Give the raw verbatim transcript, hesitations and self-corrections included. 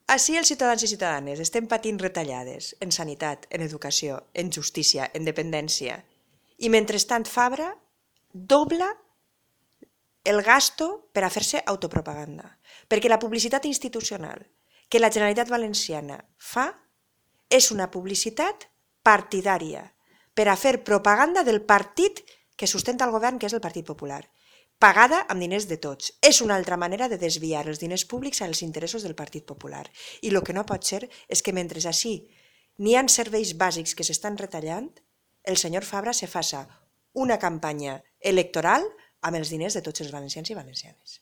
Així els ciutadans i ciutadanes estem patint retallades en sanitat, en educació, en justícia, en dependència. I mentrestant Fabra dobla el gasto per a fer-se autopropaganda. Perquè la publicitat institucional que la Generalitat Valenciana fa és una publicitat partidària per a fer propaganda del partit que sustenta el govern, que és el Partit Popular, pagada amb diners de tots. És una altra manera de desviar els diners públics als interessos del Partit Popular. I el que no pot ser és que mentre així n'hi ha serveis bàsics que s'estan retallant, el senyor Fabra se faça una campanya electoral amb els diners de tots els valencians i valencianes.